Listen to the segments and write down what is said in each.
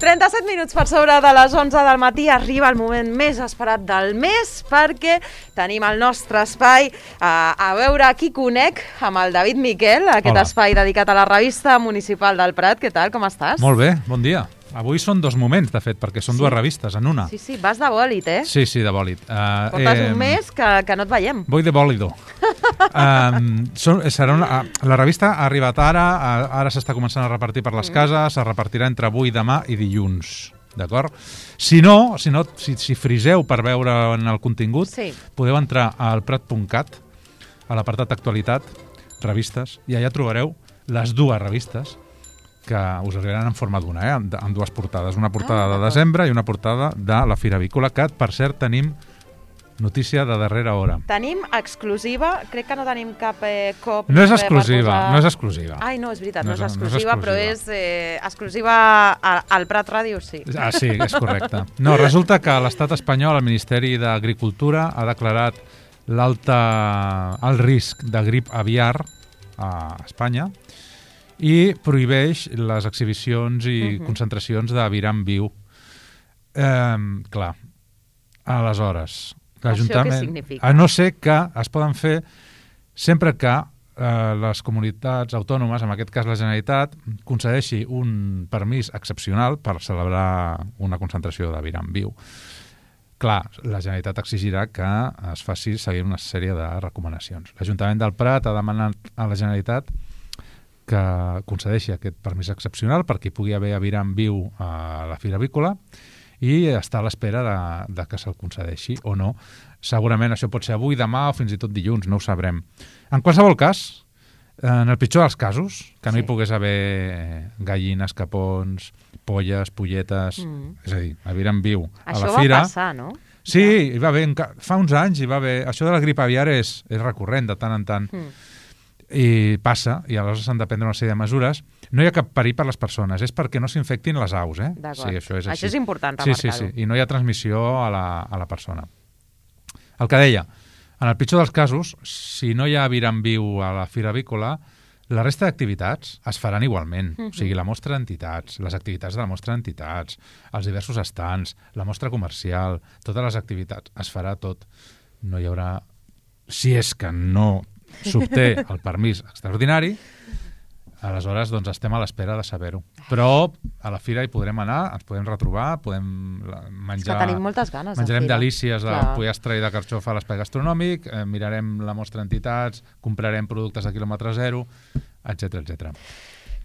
37 minuts per sobre de les 11 del matí arriba el moment més esperat del mes perquè tenim el nostre espai a veure qui conec amb el David Miquel, aquest espai dedicat a la revista municipal del Prat. Què tal, com estàs? Molt bé, bon dia. Avui són dos moments, de fet, perquè són dues revistes en una. Sí, vas de bòlit, eh? Sí, de bòlit. Portes un mes que no et veiem. Voy de bòlido. La revista ha arribat ara s'està començant a repartir per les cases, es repartirà entre avui, demà i dilluns. D'acord? Si friseu per veure en el contingut, podeu entrar al prat.cat, a l'apartat actualitat, revistes, i allà trobareu les dues revistes que us arribaran en forma d'una, amb dues portades. Una portada de desembre i una portada de la Fira Avícola, que, per cert, tenim notícia de darrera hora. Tenim exclusiva, crec que no tenim cap cop... No és exclusiva. Ai, no, és veritat, no és exclusiva, però és exclusiva al Prat Ràdio, sí. Ah, sí, és correcte. No, resulta que l'Estat espanyol, el Ministeri d'Agricultura, ha declarat el risc de grip aviar a Espanya i prohibeix les exhibicions i concentracions d'aviram viu. Clar, aleshores, l'Ajuntament... Això què significa? A no ser que es poden fer sempre que les comunitats autònomes, en aquest cas la Generalitat, concedeixi un permís excepcional per celebrar una concentració d'aviram viu. Clar, la Generalitat exigirà que es faci seguir una sèrie de recomanacions. L'Ajuntament del Prat ha demanat a la Generalitat que concedeixi aquest permís excepcional perquè hi pugui haver aviram viu a la Fira Avícola i està a l'espera de que se'l concedeixi o no. Segurament això pot ser avui, demà o fins i tot dilluns, no ho sabrem. En qualsevol cas, en el pitjor dels casos, que no hi pogués haver gallines, capons, polles, polletes, és a dir, aviram viu a la fira... Això va passar, no? Sí, hi va haver, fa uns anys hi va haver... Això de la grip aviar és recurrent de tant en tant. I passa, i aleshores s'han de prendre una sèrie de mesures. No hi ha cap perill per les persones, és perquè no s'infectin les aus, eh? D'acord. Sí, això és així. Això és important remarcar-ho. Sí, i no hi ha transmissió a la persona. El que deia, en el pitjor dels casos, si no hi ha aviram viu a la Fira Avícola, la resta d'activitats es faran igualment. O sigui, la mostra d'entitats, les activitats de la mostra d'entitats, els diversos estants, la mostra comercial, totes les activitats, es farà tot. No hi haurà... Si és que no s'obté el permís extraordinari, aleshores doncs estem a l'espera de saber-ho. Però a la fira hi podrem anar, ens podem retrobar, podem menjar... És que tenim moltes ganes de menjarem fira. delícies de pollastre i de carxofa a l'espai gastronòmic, mirarem la mostra d'entitats, comprarem productes de quilòmetre zero, etc.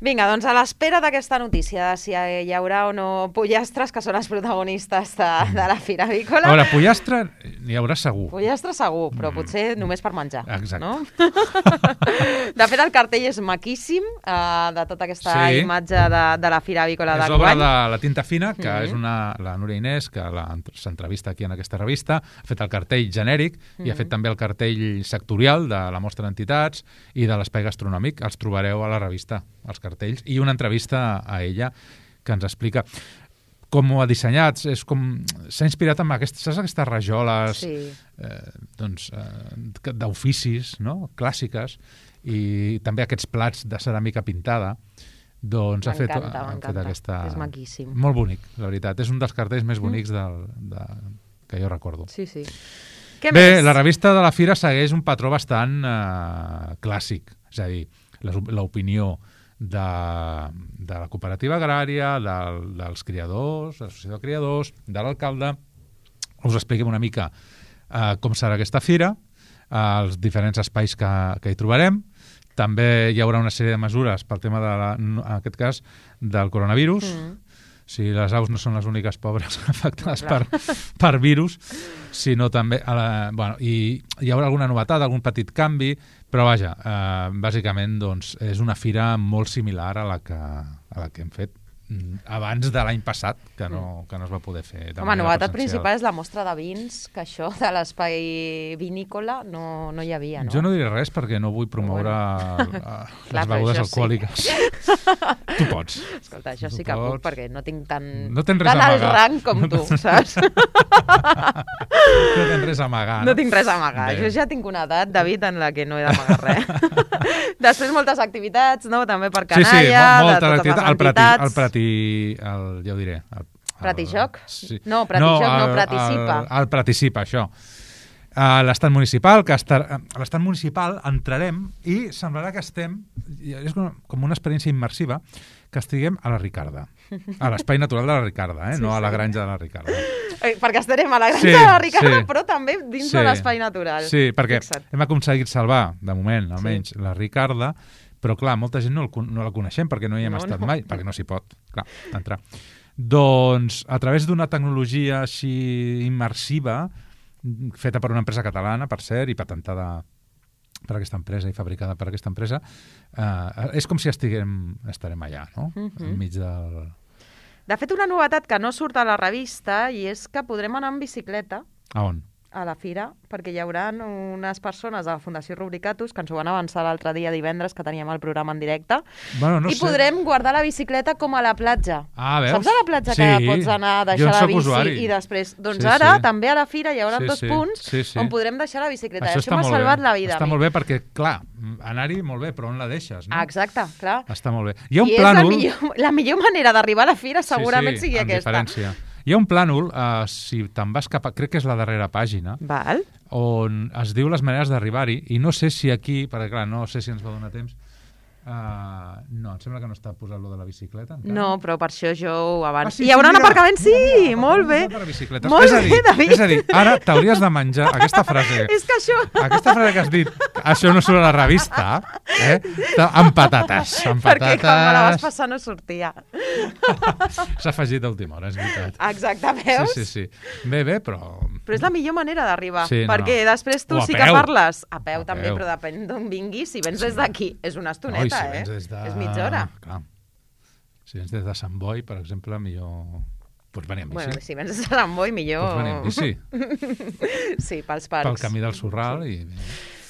Vinga, doncs a l'espera d'aquesta notícia de si hi haurà o no pollastres, que són els protagonistes de la Fira Avícola. A veure, pollastre n'hi haurà segur. Pollastre segur, però potser només per menjar. Exacte. No? De fet, el cartell és maquíssim, de tota aquesta imatge de la Fira Avícola d'enguany. És obra de la Tinta Fina, que és la Núria Inés, que s'entrevista aquí en aquesta revista, ha fet el cartell genèric i ha fet també el cartell sectorial de la mostra d'entitats i de l'espai gastronòmic. Els trobareu a la revista, els cartells, i una entrevista a ella que ens explica com ho ha dissenyat. S'ha inspirat en aquestes rajoles d'oficis, no? Clàssiques, i també aquests plats de ceràmica pintada. Doncs ha fet aquesta... És maquíssim. Molt bonic, la veritat. És un dels cartells més bonics que jo recordo. Sí. Bé, la revista de la Fira segueix un patró bastant clàssic, és a dir, l'opinió de la cooperativa agrària, dels criadors, de l'associació de criadors, de l'alcalde. Us expliquem una mica com serà aquesta fira, els diferents espais que hi trobarem. També hi haurà una sèrie de mesures pel tema, en aquest cas, del coronavirus. Si les aus no són les úniques pobres afectades per virus, sinó també... I hi haurà alguna novetat, algun petit canvi, però vaja, bàsicament doncs, és una fira molt similar a la que hem fet abans de l'any passat, que no es va poder fer de manera presencial. Novetat principal és la mostra de vins, que això de l'espai vinícola no hi havia, no? Jo no diré res perquè no vull promoure les begudes alcohòliques. Tu pots. Escolta, això sí que puc, perquè no tinc tant alt rang com tu, saps? No tens res a amagar. No tinc res a amagar. Jo ja tinc una edat, David, en la que no he d'amagar res. Després moltes activitats, no? També per canalla, de totes les entitats. El ja ho diré... Pratijoc? Sí. No, Pratijoc no, Praticipa. El Praticipa, això. A l'estat municipal, a l'estat municipal entrarem i semblarà que estem, és com una experiència immersiva, que estiguem a la Ricarda, a l'espai natural de la Ricarda, no a la granja de la Ricarda. Perquè estarem a la granja de la Ricarda, però també dins de l'espai natural. Sí, perquè hem aconseguit salvar, de moment, almenys, la Ricarda, però clar, molta gent no la coneixem perquè no hi hem estat mai, perquè no s'hi pot, clar, entrar. Doncs, a través d'una tecnologia així immersiva, feta per una empresa catalana, per cert, i patentada per aquesta empresa i fabricada per aquesta empresa, és com si estarem allà, no? Enmig del... De fet, una novetat que no surt a la revista i és que podrem anar en bicicleta. A on? A la fira, perquè hi haurà unes persones de la Fundació Rubricatus que ens ho van avançar l'altre dia divendres que teníem el programa en directe i podrem guardar la bicicleta com a la platja. Veus? Saps a la platja que pots anar a deixar la bici i després... Doncs ara també a la fira hi haurà 2 punts on podrem deixar la bicicleta. Això m'ha salvat la vida. Està molt bé perquè, clar, anar-hi molt bé, però on la deixes, no? Exacte, clar. Està molt bé. Hi ha un plànol... La millor manera d'arribar a la fira segurament sigui aquesta. Diferència. Hi ha un plànol, si te'n vas cap a... Crec que és la darrera pàgina, on es diu les maneres d'arribar-hi, i no sé si aquí, perquè clar, no sé si ens va donar temps, no, em sembla que no està posat lo de la bicicleta encara. No, però per això jo ho abans... Hi haurà un aparcament? Sí, molt bé. Molt bé, David. És a dir, ara t'hauries de menjar aquesta frase. És que això... Aquesta frase que has dit, això no surt a la revista, amb patates. Perquè quan me la vas passar no sortia. S'ha afegit a última hora, és veritat. Exacte, veus? Sí. Bé, però... Però és la millor manera d'arribar, perquè després tu sí que parles a peu també, però depèn d'on vinguis. Si vens des d'aquí, és una estoneta, és mitja hora. Clar. Si vens des de Sant Boi, per exemple, millor... Pots venir amb bici. Bueno, si vens des de Sant Boi, millor... Pots venir amb bici. Sí, pels parcs. Pel camí del Sorral i...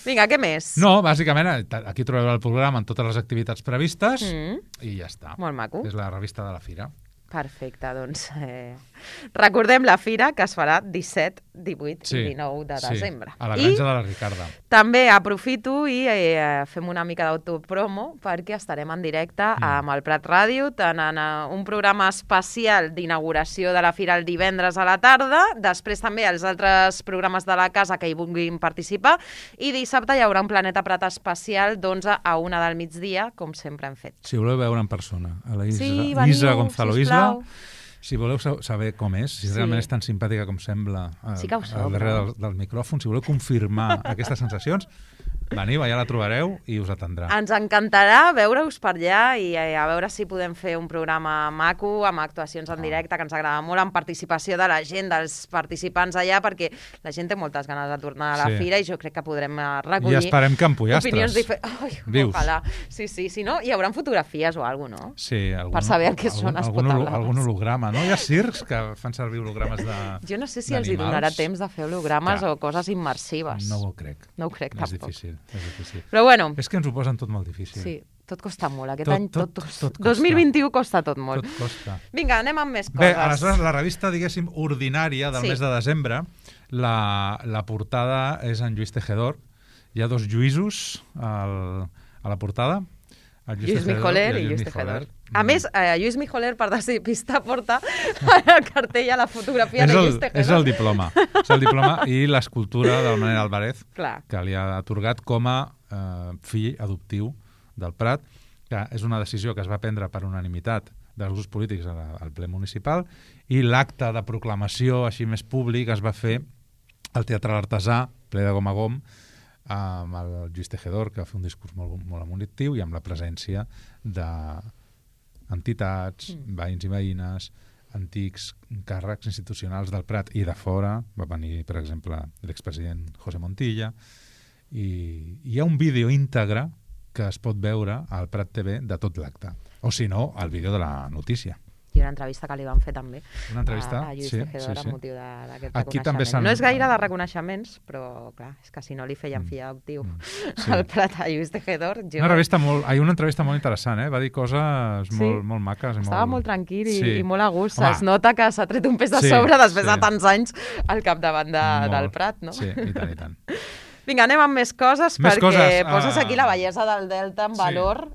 Vinga, què més? No, bàsicament, aquí trobeu el programa amb totes les activitats previstes i ja està. Molt maco. És la revista de la Fira. Perfecte, doncs recordem la Fira, que es farà 17, 18 i 19 de desembre. A la granja de la Ricarda. També aprofito i fem una mica d'autopromo perquè estarem en directe amb el Prat Ràdio, tant en un programa especial d'inauguració de la Fira el divendres a la tarda, després també els altres programes de la casa que hi vulguin participar, i dissabte hi haurà un Planeta Prat especial d'11 a 1 del migdia, com sempre hem fet. Si voleu veure en persona a la Isa Gonzalo Isla, si voleu saber com és, si realment és tan simpàtica com sembla al darrere del micròfon, si voleu confirmar aquestes sensacions, veniu, allà la trobareu i us atendrà. Ens encantarà veure-us per allà i a veure si podem fer un programa maco, amb actuacions en directe, que ens agrada molt, amb participació de la gent, dels participants allà, perquè la gent té moltes ganes de tornar a la fira i jo crec que podrem recollir... I esperem que empollastres. Opinions diferents. Ojalà. Sí, si no, hi haurà fotografies o alguna cosa, no? Sí. Per saber què són espotable. Algun holograma, no? Hi ha circs que fan servir hologrames d'animals. Jo no sé si els hi donarà temps de fer hologrames o coses immersives. No ho crec. No ho crec, tampoc. És difícil. Però bueno... És que ens ho posen tot molt difícil. Sí, tot costa molt. Aquest any tot 2021 costa tot molt. Tot costa. Vinga, anem amb més coses. Bé, aleshores, la revista, diguéssim, ordinària del mes de desembre, la portada és en Lluís Tejedor. Hi ha 2 Lluïsos a la portada. Lluís Mijoler i Lluís Tejedor. A més, Lluís Mijoler, per despistar, porta el cartell a la fotografia de Lluís Tejedor. És el diploma. És el diploma i l'escultura del Manel Álvarez, que li ha atorgat com a fill adoptiu del Prat, que és una decisió que es va prendre per unanimitat dels grups polítics al ple municipal, i l'acte de proclamació així més públic es va fer al Teatre L'Artesà, ple de gom a gom, amb el Lluís Tejedor, que va fer un discurs molt emotiu, i amb la presència d'entitats, veïns i veïnes, antics càrrecs institucionals del Prat i de fora. Va venir, per exemple, l'expresident José Montilla, i hi ha un vídeo íntegre que es pot veure al Prat TV de tot l'acte, o si no, el vídeo de la notícia. I una entrevista que li van fer també a Lluís Tejedor amb motiu d'aquest reconeixement. No és gaire de reconeixements, però clar, és que si no li feien fill adoptiu al Prat a Lluís Tejedor... Una entrevista molt interessant, va dir coses molt maques. Estava molt tranquil i molt a gust. Es nota que s'ha tret un pes de sobre després de tants anys al capdavant del Prat, no? Sí, i tant. Vinga, anem amb més coses, perquè poses aquí la bellesa del Delta en valor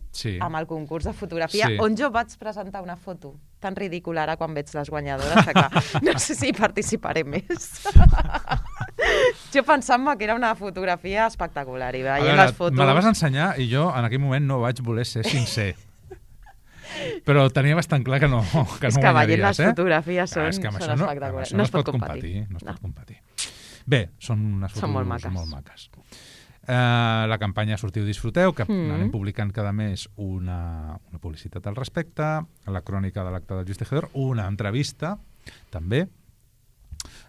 amb el concurs de fotografia, on jo vaig presentar una foto tan ridícula ara quan veig les guanyadores, que no sé si participaré més. Jo pensant-me que era una fotografia espectacular i veient les fotos... Me la vas ensenyar i jo en aquell moment no vaig voler ser sincer. Però tenia bastant clar que no és que veient les fotografies són espectaculars. No es pot competir. Bé, són unes fotos molt maques. La campanya Sortiu Disfruteu, que anem publicant cada mes una publicitat al respecte, la crònica de l'acte del Lluís Tejedor, una entrevista, també,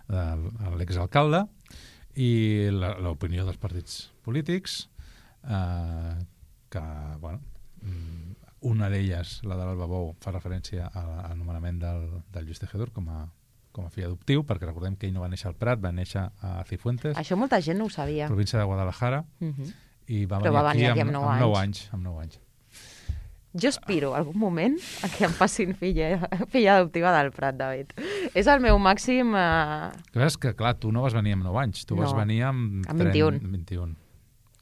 a l'exalcalde, i l'opinió dels partits polítics, que, bueno, una d'elles, la de l'Alba Bou, fa referència a l'anomenament del Lluís Tejedor com a fill adoptiu, perquè recordem que ell no va néixer al Prat, va néixer a Cifuentes. Això molta gent no ho sabia. Província de Guadalajara. I va venir aquí amb 9 anys. Jo aspiro algun moment a que em passin filla adoptiva del Prat, David. És el meu màxim... Que clar, tu no vas venir amb 9 anys, tu vas venir amb 21.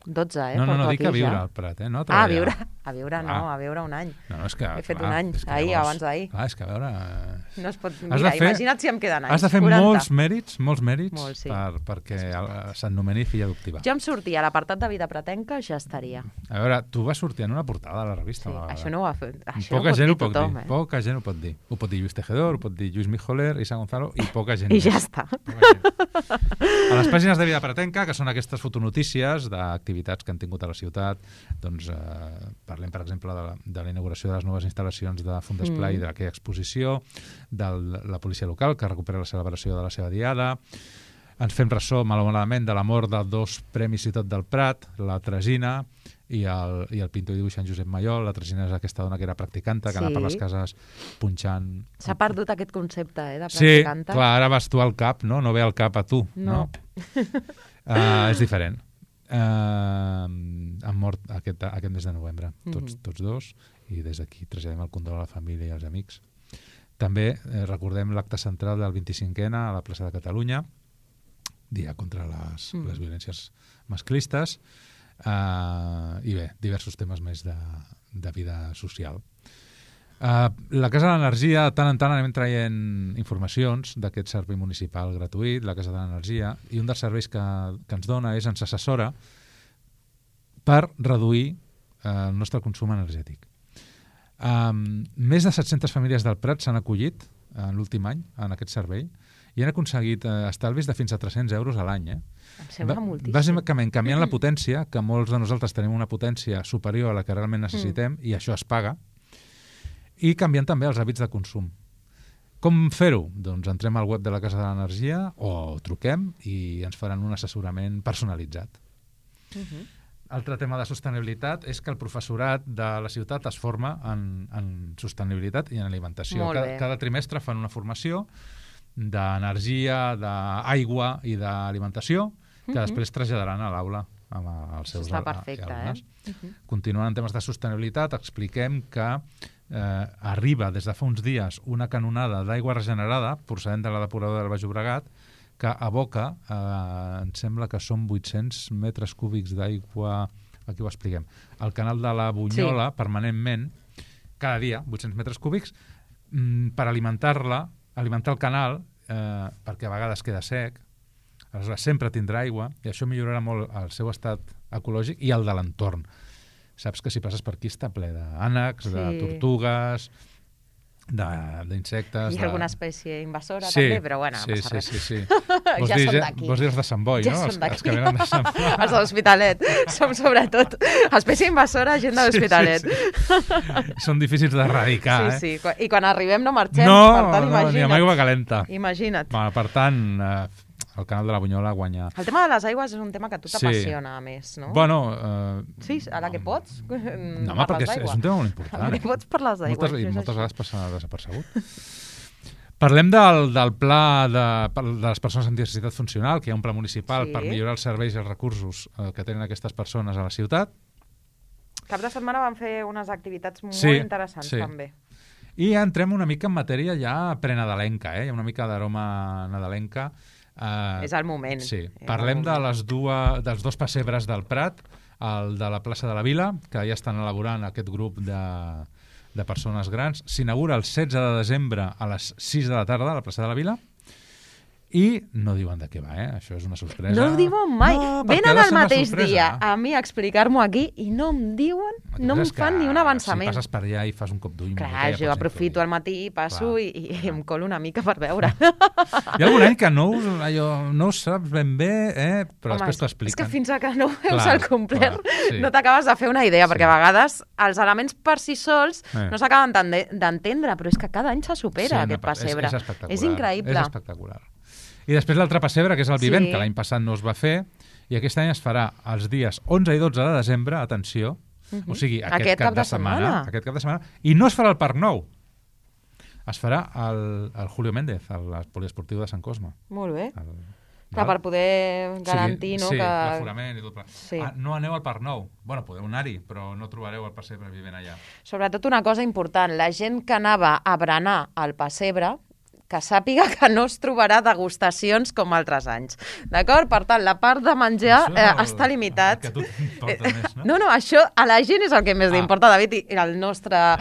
12, No, dic a viure al Prat, no? A viure un any. No, és que... He fet un any, abans d'ahir. Clar, és que a veure... No es pot... Mira, imagina't si em queden anys. Has de fer 40. molts mèrits perquè s'anomeni filla adoptiva. Jo em sortia a l'apartat de vida pratenca, ja estaria. A veure, tu vas sortir en una portada de la revista. Sí, això no ho ha fet. Poca gent ho pot dir. Poca gent ho pot dir. Ho pot dir Lluís Tejedor, ho pot dir Lluís Mijoler, Isa Gonzalo, i poca gent. I ja està. A les pàgines de Vida Pratenca, que són aquestes fotonotícies d'activitats que han tingut a la ciutat, doncs parlem, per exemple, de la inauguració de les noves instal·lacions de Fundesplai, d'aquella exposició, de la policia local, que recupera la celebració de la seva diada. Ens fem ressò, malauradament, de la mort de 2 premis Ciutat del Prat, la Tresina i el pintor i dibuixant Josep Mayol. La Tresina és aquesta dona que era practicanta, que anava per les cases punxant... S'ha perdut aquest concepte, de practicanta. Sí, clar, ara vas tu al cap, no? No ve al cap a tu, no? És diferent. Han mort aquest mes de novembre, tots dos, i des d'aquí traslladem el condol a la família i als amics. També recordem l'acte central del 25è a la plaça de Catalunya, dia contra les violències masclistes, i bé, diversos temes més de vida social. La Casa de l'Energia, de tant en tant anem traient informacions d'aquest servei municipal gratuït, la Casa de l'Energia, i un dels serveis que ens dona és ens assessora per reduir el nostre consum energètic. Més de 700 famílies del Prat s'han acollit en l'últim any en aquest servei i han aconseguit estalvis de fins a 300 euros a l'any. Em sembla moltíssim. Bàsicament canviant la potència, que molts de nosaltres tenim una potència superior a la que realment necessitem, i això es paga, i canviant també els hàbits de consum. Com fer-ho? Doncs entrem al web de la Casa de l'Energia o truquem i ens faran un assessorament personalitzat. Altre tema de sostenibilitat és que el professorat de la ciutat es forma en sostenibilitat i en alimentació. Cada trimestre fan una formació d'energia, d'aigua i d'alimentació que després traslladaran a l'aula amb els seus alumnes. Continuant en temes de sostenibilitat, expliquem que arriba des de fa uns dies una canonada d'aigua regenerada procedent de la depuradora del Baix Llobregat que aboca, em sembla que són 800 metres cúbics d'aigua, aquí ho expliquem, al canal de la Bunyola, permanentment, cada dia, 800 metres cúbics, per alimentar el canal, perquè a vegades queda sec, aleshores sempre tindrà aigua, i això millorarà molt el seu estat ecològic i el de l'entorn. Saps que si passes per aquí està ple d'ànecs, de tortugues, d'insectes... I alguna espècie invasora també, però bueno, no passa res. Sí. Ja són d'aquí. Vols dir els de Sant Boi, no? Els que venen de Sant Boi. Els de l'Hospitalet. Som sobretot espècie invasora, gent de l'Hospitalet. Són difícils d'erradicar, Sí. I quan arribem no marxem, per tant, imagina't. No, ni amb aigua calenta. Imagina't. Per tant... el canal de la Bunyola guanya... El tema de les aigües és un tema que a tu t'apassiona, a més, no? Bueno... Sí, ara que pots, no, home, perquè és un tema molt important. Ara que pots parlar d'aigua. Moltes vegades passa desapercebut. Parlem del pla de les persones amb diversitat funcional, que hi ha un pla municipal per millorar els serveis i els recursos que tenen aquestes persones a la ciutat. Cap de setmana van fer unes activitats molt interessants, també. I entrem una mica en matèria ja prenadalenca, hi ha una mica d'aroma nadalenca. És el moment. Sí. Parlem dels dos pessebres del Prat, el de la plaça de la Vila, que ja estan elaborant aquest grup de persones grans. S'inaugura el 16 de desembre a les 6 de la tarda a la plaça de la Vila. I no diuen de què va, Això és una sorpresa. No ho diuen mai. Venen el mateix dia a mi a explicar-m'ho aquí i no em diuen, no em fan ni un avançament. Si passes per allà i fas un cop d'ull... Clar, jo aprofito al matí, passo i em colo una mica per veure. Hi ha algun any que no ho saps ben bé, però després t'ho expliquen. És que fins que no ho veus al complet no t'acabes de fer una idea, perquè a vegades els elements per si sols no s'acaben d'entendre, però és que cada any se supera aquest pessebre. És espectacular. És increïble. És espectacular. I després l'altre pessebre, que és el Vivent, que l'any passat no es va fer, i aquest any es farà els dies 11 i 12 de desembre, atenció, o sigui, aquest cap de setmana, i no es farà al Parc Nou, es farà al Julio Méndez, al poliesportiu de Sant Cosme. Molt bé. Clar, per poder garantir que... Sí, que... l'aforament i tot. Sí. No aneu al Parc Nou. Bueno, podeu anar-hi, però no trobareu el pessebre Vivent allà. Sobretot una cosa important, la gent que anava a berenar al pessebre, que sàpiga que no es trobarà degustacions com altres anys. D'acord? Per tant, la part de menjar està limitat. Que a tu t'importa més, no? No, això a la gent és el que més li importa, David, i la nostra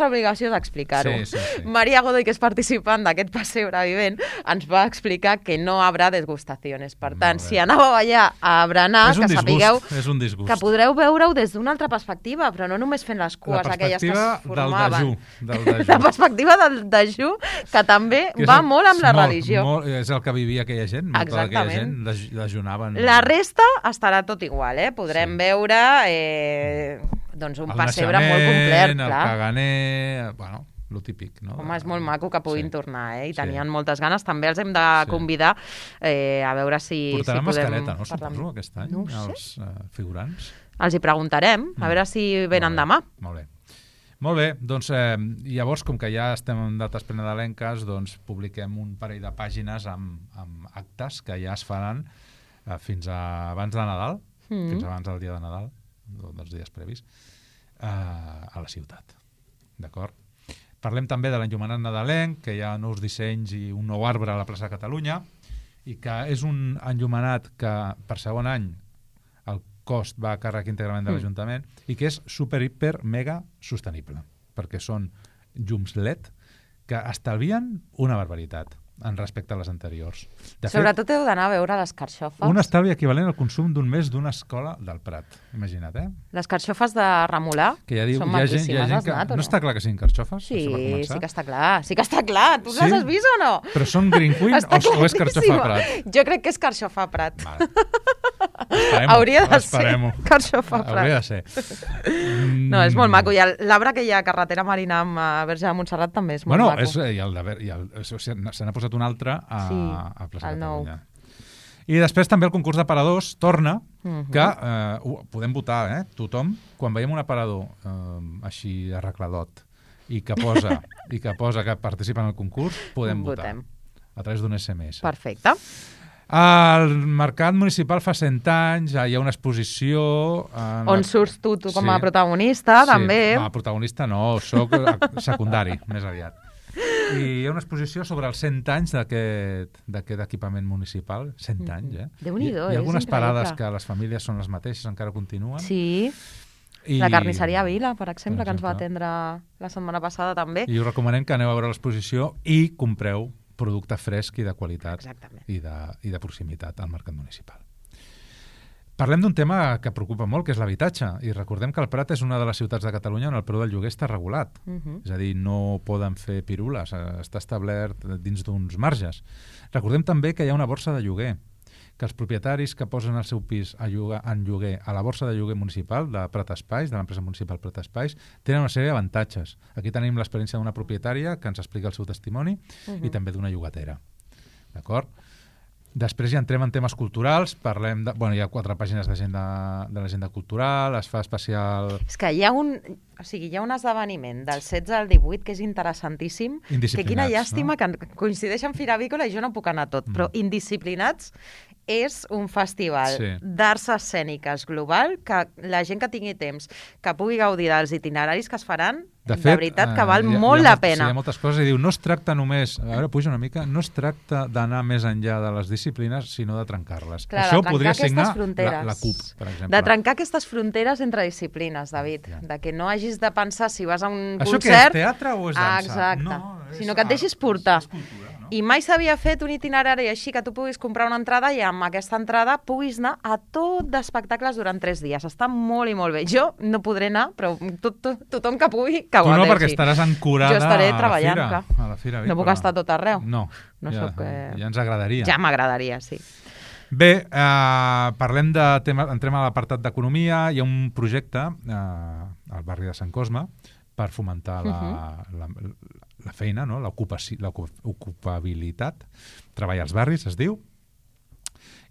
obligació és explicar-ho. Sí. Maria Godoy, que és participant d'aquest pessebre Vivent, ens va explicar que no habrà degustacions. Per tant, si anàveu allà a berenar, que sapigueu que podreu veure-ho des d'una altra perspectiva, però no només fent les cues aquelles que es formaven. La perspectiva del dejú, que també va molt amb la religió. És el que vivia aquella gent. Exactament. Aquella gent dejunaven... La resta estarà tot igual, Podrem veure un pessebre molt complet. El caganer... Bueno, lo típic, no? Home, és molt maco que puguin tornar, i tenien moltes ganes. També els hem de convidar a veure si portaran podem... mascareta, no? Suposo, aquest any, els figurants. Els hi preguntarem, a veure si venen demà. Molt bé. Molt bé, doncs llavors, com que ja estem en dates prenadalenques, doncs publiquem un parell de pàgines amb actes que ja es faran fins abans de Nadal, fins abans del dia de Nadal, dels dies previs, a la ciutat. D'acord? Parlem també de l'enllumenat nadalenc, que hi ha nous dissenys i un nou arbre a la plaça de Catalunya, i que és un enllumenat que per segon any el cost va a càrrec íntegrament de l'Ajuntament i que és super, hiper, mega sostenible, perquè són llums LED que estalvien una barbaritat en respecte a les anteriors. Sobretot heu d'anar a veure les carxofes. Un estalvi equivalent al consum d'un mes d'una escola del Prat. Imagina't, Les carxofes de Remolà són maquíssimes. No està clar que siguin carxofes? Sí, sí que està clar. Sí que està clar. Tu les has vist o no? Però són Green Queen o és carxofa Prat? Jo crec que és carxofa Prat. Hauria de ser carxofa Prat. Hauria de ser. No, és molt maco. I l'arbre que hi ha a carretera Marina amb Verge de Montserrat també és molt maco. Se n'ha posat un altre a Plaça Catalunya. I després també el concurs d'aparadors torna, que podem votar, tothom, quan veiem un aparador així arregladot i que posa que participa en el concurs, podem votar a través d'un SMS. Perfecte. Al Mercat Municipal fa 100 anys, hi ha una exposició... On surts tu com a protagonista, també. Sí, protagonista no, soc secundari, més aviat. I hi ha una exposició sobre els 100 anys d'aquest equipament municipal. 100 anys, Déu-n'hi-do, Hi ha algunes parades que les famílies són les mateixes, encara continuen. Sí, la carnisseria Vila, per exemple, que ens va atendre la setmana passada també. I us recomanem que aneu a veure l'exposició i compreu producte fresc i de qualitat i de proximitat al mercat municipal. Parlem d'un tema que preocupa molt, que és l'habitatge, i recordem que el Prat és una de les ciutats de Catalunya on el preu del lloguer està regulat. És a dir, no poden fer pirules, està establert dins d'uns marges. Recordem també que hi ha una borsa de lloguer, que els propietaris que posen el seu pis en lloguer a la borsa de lloguer municipal de Prat Espais, de l'empresa municipal Prat Espais, tenen una sèrie d'avantatges. Aquí tenim l'experiència d'una propietària que ens explica el seu testimoni i també d'una llogatera. D'acord? Després ja entrem en temes culturals, parlem de... Bueno, hi ha 4 pàgines de l'agenda cultural, es fa especial... És que hi ha un esdeveniment del 16 al 18 que és interessantíssim, que quina llàstima que coincideix amb Fira Avícola i jo no puc anar tot, però Indisciplinats és un festival d'arts escèniques global que la gent que tingui temps, que pugui gaudir dels itineraris que es faran, de veritat que val molt la pena. Hi ha moltes coses, i diu, no es tracta només, a veure, puja una mica, no es tracta d'anar més enllà de les disciplines, sinó de trencar-les. Això ho podria signar la CUP, per exemple. De trencar aquestes fronteres entre disciplines, David, de que no hagis de pensar si vas a un concert... Això què és, teatre o és dansa? Exacte, sinó que et deixis portar. I mai s'havia fet un itinerari així que tu puguis comprar una entrada i amb aquesta entrada puguis anar a tot d'espectacles durant 3 dies. Està molt i molt bé. Jo no podré anar, però tothom que pugui, que ho gaudeixi. Tu no, perquè estaràs ancorada a la fira. No puc estar tot arreu. No, ja ens agradaria. Ja m'agradaria, sí. Bé, parlem de temes, entrem a l'apartat d'economia. Hi ha un projecte al barri de Sant Cosme per fomentar la feina, no? L'ocupabilitat, treball als barris, es diu,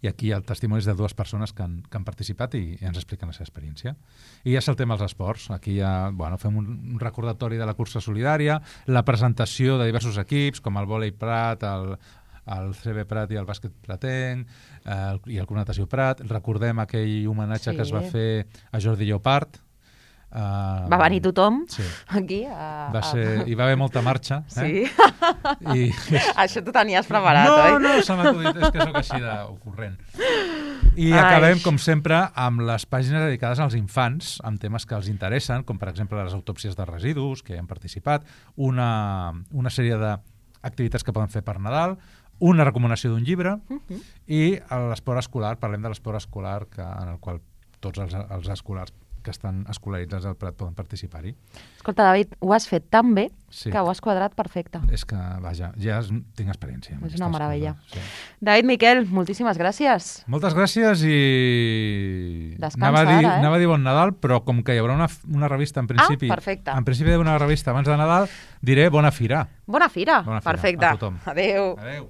i aquí hi ha testimonis de 2 persones que han participat i ens expliquen la seva experiència. I ja saltem als esports. Aquí fem un recordatori de la cursa solidària, la presentació de diversos equips, com el vòlei Prat, el CB Prat i el bàsquet pratenc, i el Club Natació Prat. Recordem aquell homenatge que es va fer a Jordi Llopart. Va venir tothom aquí. Hi va haver molta marxa. Sí. Això t'ho tenies preparat, oi? No, se m'ha acudit, és que sóc així d'ocorrent. I acabem, com sempre, amb les pàgines dedicades als infants, amb temes que els interessen, com per exemple les autòpsies de residus, que hi han participat, una sèrie d'activitats que poden fer per Nadal, una recomanació d'un llibre i l'esport escolar. Parlem de l'esport escolar en el qual tots els escolars que estan escolaritzats al Prat poden participar-hi. Escolta, David, ho has fet tan bé que ho has quadrat perfecte. És que, vaja, ja tinc experiència. És una meravella. David Miquel, moltíssimes gràcies. Moltes gràcies i... Descansa ara, Anava a dir bon Nadal, però com que hi haurà una revista en principi... perfecte. En principi hi ha una revista abans de Nadal, diré bona fira. Bona fira, perfecte. A tothom. Adéu. Adéu.